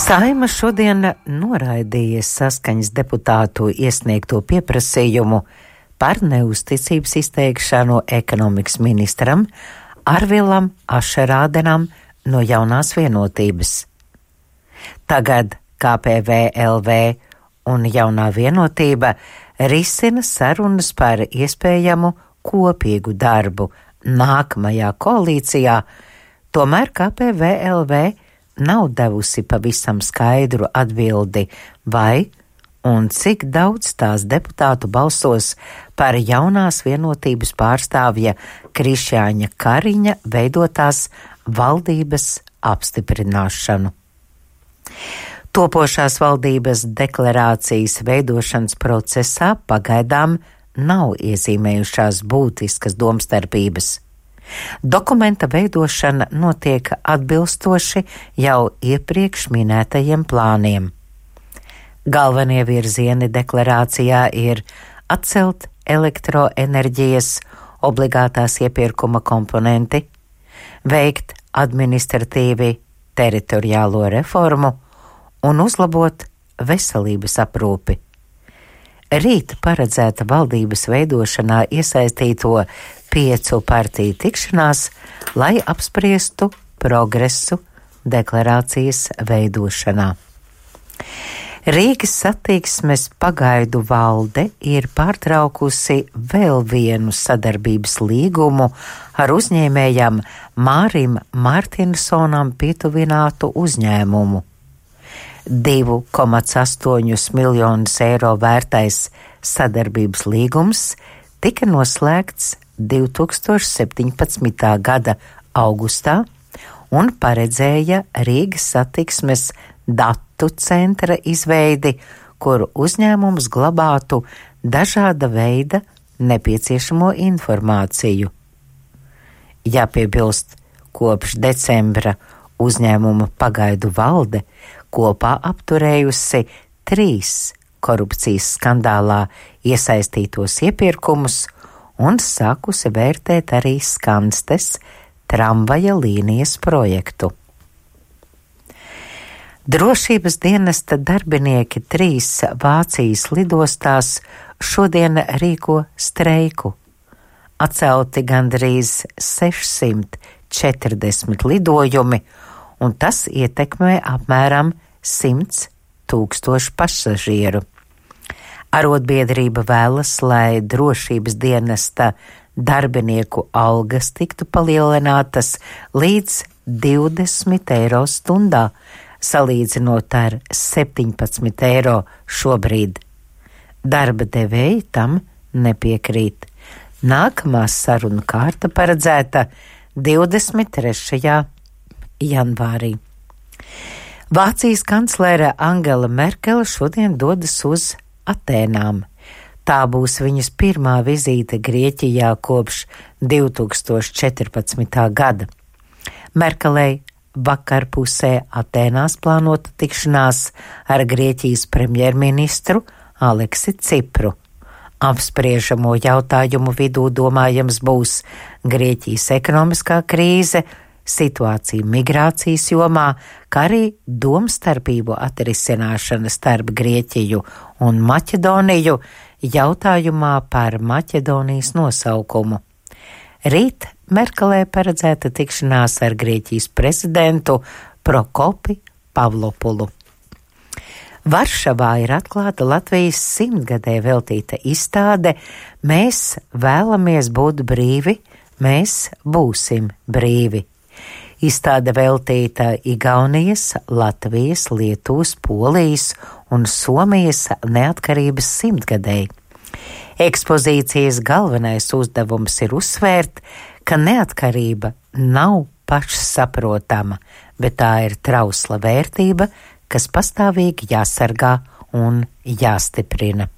Saeima šodien noraidīja Saskaņas deputātu iesniegto pieprasījumu par neusticības izteikšanu ekonomikas ministram Arvilam Ašerādenam no Jaunās vienotības. Tagad KPVLV un Jaunā vienotība risina sarunas par iespējamu kopīgu darbu nākamajā koalīcijā, tomēr KPVLV nav devusi pavisam skaidru atbildi, vai un cik daudz tās deputātu balsos par Jaunās vienotības pārstāvja Krišjāņa Kariņa veidotās valdības apstiprināšanu. Topošās valdības deklarācijas veidošanas procesā pagaidām nav iezīmējušās būtiskas domstarpības. Dokumenta veidošana notiek atbilstoši jau iepriekš minētajiem plāniem. Galvenie virzieni deklarācijā ir atcelt elektroenerģijas obligātās iepirkuma komponenti, veikt administratīvi teritoriālo reformu un uzlabot veselības aprūpi. Rīt paredzēta valdības veidošanā iesaistīto 5 partiju tikšanās, lai apspriestu progresu deklarācijas veidošanā. Rīgas satiksmes pagaidu valde ir pārtraukusi vēl vienu sadarbības līgumu ar uzņēmējam Mārim Mārtinsonam pietuvinātu uzņēmumu. 2,8 miljonus eiro vērtais sadarbības līgums tika noslēgts 2017. gada augustā un paredzēja Rīgas satiksmes datu centra izveidi, kur uzņēmums glabātu dažāda veida nepieciešamo informāciju. Jāpiebilst, kopš decembra uzņēmuma pagaidu valde kopā apturējusi 3 korupcijas skandālā iesaistītos iepirkumus un sākusi vērtēt arī Skanstes tramvaja līnijas projektu. Drošības dienesta darbinieki 3 Vācijas lidostās šodien rīko streiku. Atcelti gandrīz 640 lidojumi, un tas ietekmē apmēram 100 000 pasažieru. Arotbiedrība vēlas, lai drošības dienesta darbinieku algas tiktu palielinātas līdz 20 eiro stundā, salīdzinot ar 17 eiro šobrīd. Darba devēji tam nepiekrīt. Nākamā saruna kārta paredzēta 23. janvārī. Vācijas kanclere Angela Merkele šodien dodas uz Atēnām. Tā būs viņas pirmā vizīte Grieķijā kopš 2014. gada. Merkelei vakarpusē Atēnās plānota tikšanās ar Grieķijas premjerministru Aleksi Cipru. Apspriežamo jautājumu vidū domājams būs Grieķijas ekonomiskā krīze, situācija migrācijas jomā, kā arī domstarpību atrisināšana starp Grieķiju un Maķedoniju jautājumā par Maķedonijas nosaukumu. Rīt Merkelē paredzēta tikšanās ar Grieķijas prezidentu Prokopi Pavlopulu. Varšavā ir atklāta Latvijas 100-gadē veltīta izstāde Mēs vēlamies būt brīvi, mēs būsim brīvi. Izstāde veltīta Igaunijas, Latvijas, Lietuvas, Polijas un Somijas neatkarības 100-gadēji. Ekspozīcijas galvenais uzdevums ir uzsvērt, ka neatkarība nav pašsaprotama, bet tā ir trausla vērtība, kas pastāvīgi jāsargā un jāstiprina.